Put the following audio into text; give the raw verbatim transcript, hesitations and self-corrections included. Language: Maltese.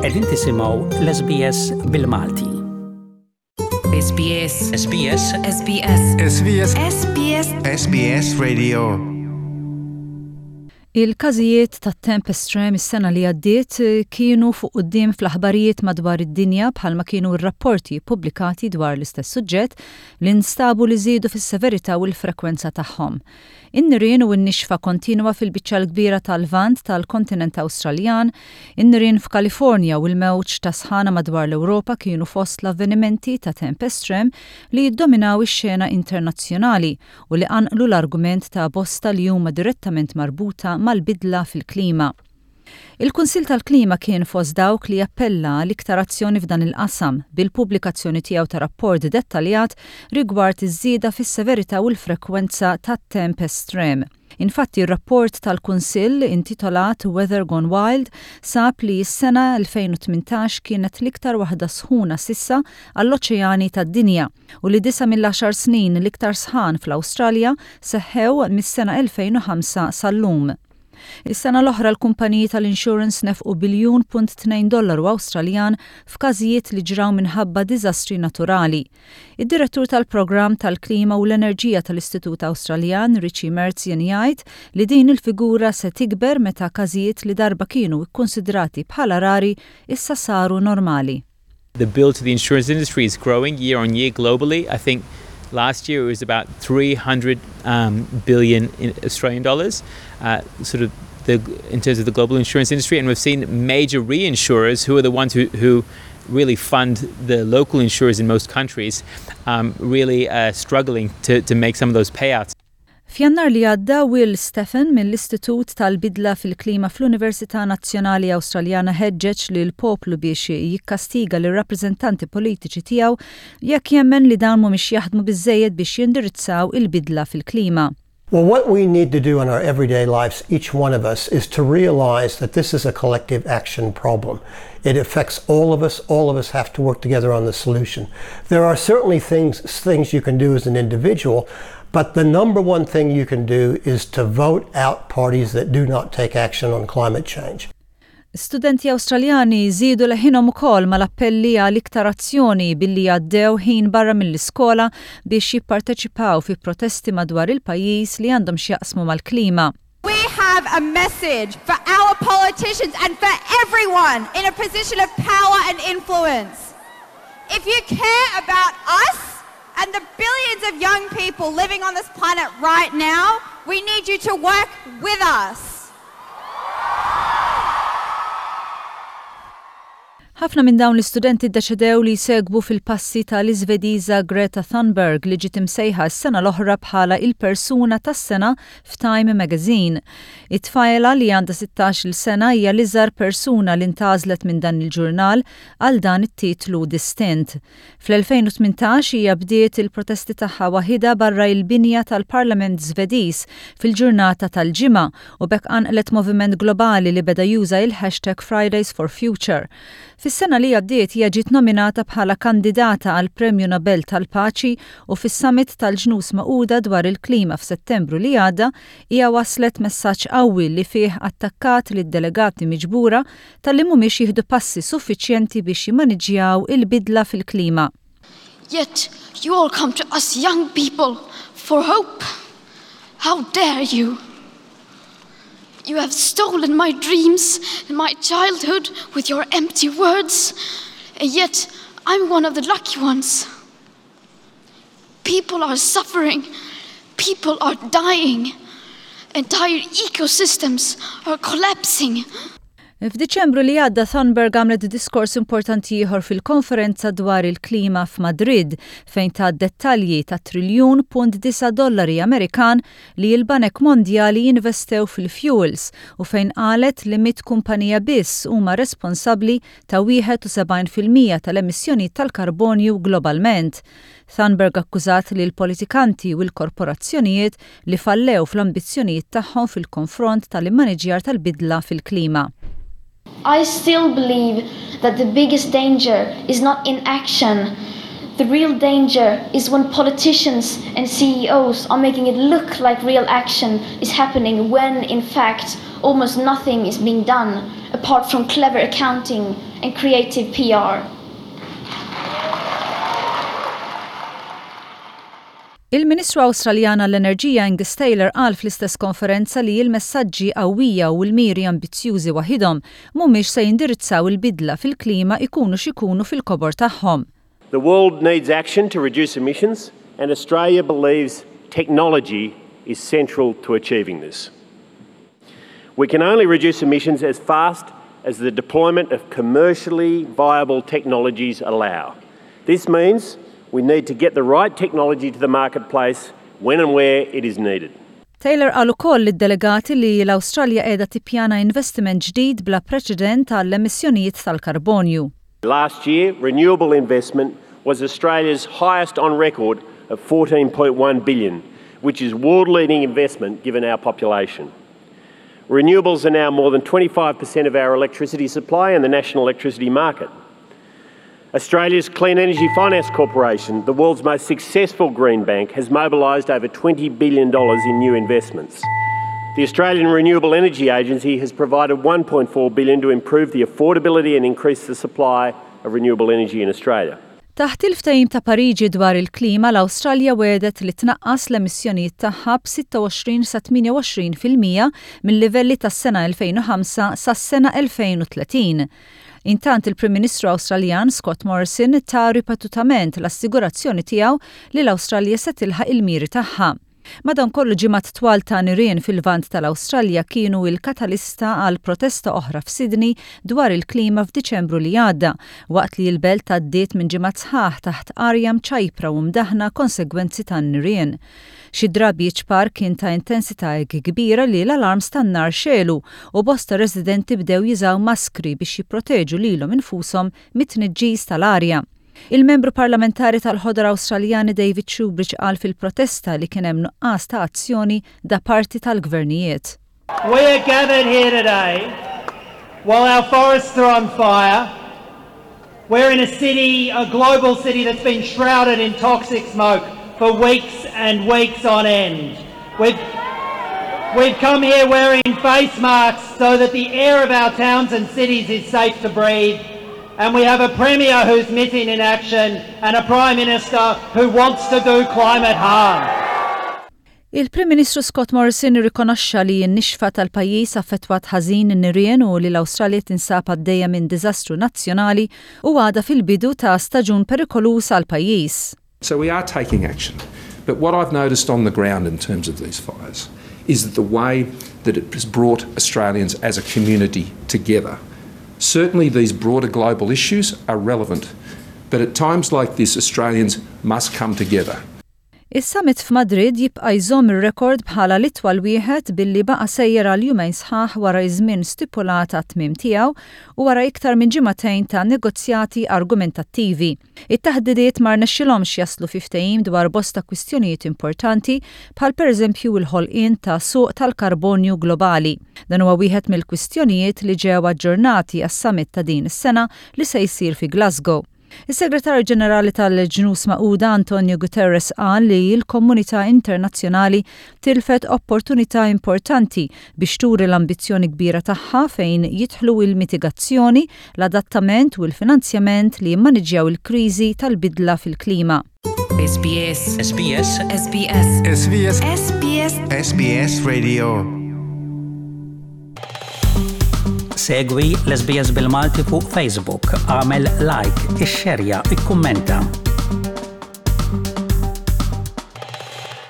Qegħdin tisimgħu l-S B S bil-Malti. S B S. S B S. S B S. S B S. S B S. S B S Radio. Il-każijiet ta' temp estrem is-sena li għaddiet kienu fuq quddiem fl-aħbarijiet madwar id-dinja, bħalma kienu r-rapporti pubblikati dwar l-istess suġġett li nstabu li żiedu fis-severità u l-frekwenza tagħhom. In-nirien u n-nixfa kontinwa fil-biċċa l-kbira tal-Lvant tal-kontinent Awstraljan, in-nirien f'Kalifornja u l-mewġ ta' sħana madwar l-Ewropa kienu fost l-avvenimenti ta' temp estrem li jiddominaw ix-xena internazzjonali u li qanqlu l-argument ta' bosta li huma direttament marbuta mal-bidla fil-klima. Il-Kunsil tal-Klima kien fost dawk li appella l-iktar azzjoni f'dan il-qasam bil-pubblikazzjoni tiegħu ta' rapport dettaljat rigward iż-żieda fis-severità u l-frekwenza tat-temp estrem. Infatti, ir-rapport tal-Kunsill intitolat Weather Gone Wild sab li s-sena elfejn u tmintax kienet l-iktar waħda sħuna s'issa għall-oċeani tad-dinja u li disa mill-għaxar snin l-iktar sħan fl-Awstralja seħħew mis-sena elfejn u ħamsa sal-lum. Is-sena l-oħra l-kumpaniji tal-insurance nefqu biljun punt tnejn dollaru Awstraljan f'każijiet li ġraw minħabba diżastri naturali. Id-direttur tal-programm tal-klima u l-enerġija tal-Istitut Awstraljan, Richie Merzian, jgħid li din il-figura se tikber meta każijiet li darba kienu ikkonsidrati bħala rari issa saru normali. The bill to the insurance industry is growing year on year globally. I think last year it was about three hundred um, billion in Australian dollars, uh, sort of the, in terms of the global insurance industry. And we've seen major reinsurers, who are the ones who, who really fund the local insurers in most countries, um, really uh, struggling to, to make some of those payouts. F'Jannar li għadda, Will Steffen mill-Istitut tal-Bidla fil-Klima fl-Università Nazzjonali Awstraljana ħeġġeġ li l-poplu biex jikkastiga lir rappreżentanti politiċi tiegħu jekk jemmen li dawn mhumiex jaħdmu biżejjed biex jindirizzaw il-bidla fil-klima. Well, what we need to do in our everyday lives, each one of us, is to realize that this is a collective action problem. It affects all of us. All of us have to work together on the solution. There are certainly things, things you can do as an individual, but the number one thing you can do is to vote out parties that do not take action on climate change. Studenti Awstraljani żiedu leħinhom ukoll mal-appelli għal iktar azzjoni billi għaddew ħin barra mill-iskola biex jipparteċipaw fi protesti madwar il-pajjiż li għandhom x'jaqsmu mal-klima. We have a message for our politicians and for everyone in a position of power and influence. If you care about us and the billions of young people living on this planet right now, we need you to work with us. Ħafna minn dawn l-istudenti ddeċidew li jsegwu fil-passi tal-Iżvediża Greta Thunberg, li ġiet imsejħa s-sena l-oħra bħala il-persuna tas-sena f'Time Magazine. It-tfajla li għandha sittax-il sena hija l-iżgħar persuna li ntgħażlet minn dan il-ġurnal għal dan it-titlu distint. Fl-elfejn u tmintax hija bdiet il-protesti tagħha waħidha barra il-binja tal-Parlament Żvediż fil-ġurnata tal-Ġimgħa u b'hekk qanqlet moviment globali li beda juża il-hashtag Fridays for Future. Fis-sena li għaddiet hija ġiet nominata bħala kandidata għal Premju Nobel tal-Paċi u fis-Summit tal-Ġnus Magħquda dwar il-klima f'Settembru li għadda hija waslet messaġġ qawwi li fih attakkat lid-delegati miġbura talli mhumiex jieħdu passi suffiċjenti biex jimmaniġġjaw il-bidla fil-klima. Yet you all come to us young people for hope. How dare you? You have stolen my dreams and my childhood with your empty words, and yet I'm one of the lucky ones. People are suffering, people are dying, entire ecosystems are collapsing. F'Diċembru li għadda, Thunberg għamlet diskors importanti ieħor fil-konferenza dwar il-klima f'Madrid, fejn tat dettalji ta' triljun punt disa dollari Amerikan li l-Banek Mondjali jinvestew fil-fuels u fejn qalet li mit kumpanija biss huma responsabbli ta' wieħed u sebgħin fil-mija tal-emissjoni tal-karbonju globalment. Thunberg akkużat li l-politikanti u l-korporazzjonijiet li fallew fl-ambizzjonijiet tagħhom fil-konfront tal-immaniġjar tal-bidla fil-klima. I still believe that the biggest danger is not inaction. The real danger is when politicians and C E Os are making it look like real action is happening when, in fact, almost nothing is being done. apart from clever accounting and creative P R. Il-Ministru Awstraljana l-Enerġija Angus Taylor qal fl-istess konferenza li l-messaġġi qawwija u l-miri ambizzjużi waħidhom mhumiex se jindirizzaw il-bidla fil-klima, ikunu x'ikunu fil-kobor tagħhom. The world needs action to reduce emissions, and Australia believes technology is central to achieving this. We can only reduce emissions as fast as the deployment of commercially viable technologies allow. This means we need to get the right technology to the marketplace when and where it is needed. Taylor qal ukoll lid-delegati li l-Awstralja qiegħda tippjana investiment ġdid bla preċedent għall-emissjonijiet tal-karbonju. Last year, renewable investment was Australia's highest on record of fourteen point one billion, which is world-leading investment given our population. Renewables are now more than twenty-five percent of our electricity supply in the national electricity market. Australia's Clean Energy Finance Corporation, the world's most successful green bank, has mobilised over twenty billion dollars in new investments. The Australian Renewable Energy Agency has provided one point four billion to improve the affordability and increase the supply of renewable energy in Australia. Taħt il-ftehim ta' Pariġi dwar il-klima, l-Awstralja wegħdet li tnaqqas l-emissjonijiet tagħha b'sitta u għoxrin sa tmienja u għoxrin fil-mija mill-livelli tas-sena elfejn u ħamsa sas-sena elfejn u tletin. Intant, il-Prim Ministru Awstraljan Scott Morrison ta ripetutament l-assigurazzjoni tiegħu li l-Awstralja se tilħaq il-miri tagħha. Madankollu, ġimgħat twal ta' nirien fil-Lvant tal-Awstralja kienu il-katalista għal protesta oħra f'Sydney dwar il-klima f'Diċembru li għadda, waqt li l-belt għaddiet minn ġimgħat sħaħ taħt arja mċajpra u mdaħna konsegwenzi tan-nirien. Xi drabi ċpar kien ta' intensità kbira li l-alarms tan-nar xegħlu u bosta residenti bdew jużaw maskri biex jipproteġu lilhom infushom mit-tniġġis tal-arja. Il-membru parlamentari tal-Ħodor Awstraljani David Shoebridge qal fil-protesta li kien hemm nuqqas ta' azzjoni da parti tal-gvernijiet. We are gathered here today while our forests are on fire. We're in a city, a global city that's been shrouded in toxic smoke for weeks and weeks on end. We've, we've come here wearing face masks so that the air of our towns and cities is safe to breathe. And we have a Premier who's missing in action and a Prime Minister who wants to do climate harm. Il-Prim Ministru Scott Morrison rikonoxxa li n-nixfa tal-pajjiż affettwat ħażin in-nirien u li l-Awstralja tinsab għaddejja minn diżastru nazzjonali u għadha fil-bidu ta' staġun perikoluż għall-pajjiż. So we are taking action. But what I've noticed on the ground in terms of these fires is that the way that it has brought Australians as a community together. Certainly, these broader global issues are relevant, but at times like this, Australians must come together. Is-summit f'Madrid jibqa' jżomm ir-rekord bħala l-itwal wieħed billi baqa' sejjer għal jumejn sħaħ wara iż-żmien stipulat għat-tmiem tiegħu u wara iktar minn ġimagħtejn ta' negozjati argumentattivi. It-taħdidiet ma rnexxilhomx jaslu fi ftehim dwar bosta kwistjonijiet importanti, bħal pereżempju l-ħolqien ta' suq tal-karbonju globali. Dan huwa wieħed mill-kwistjonijiet li ġew aġġornati għas-summit ta' din is-sena li se jsir fi Glasgow. Is-Segretarju Ġenerali tal-Ġnus Magħquda Antonio Guterres qal li l-komunità internazzjonali tilfet opportunità importanti biex turi l-ambizzjoni kbira tagħha fejn jidħlu il-mitigazzjoni, l-adattament u l-finanzjament li jimmaniġġjaw il-kriżi tal-bidla fil-klima. S B S. S B S. S B S. S B S. S B S. S B S Radio. Segwi l-S B S bil-Malti fuq Facebook, għamel like, ixxerja, ikkummenta.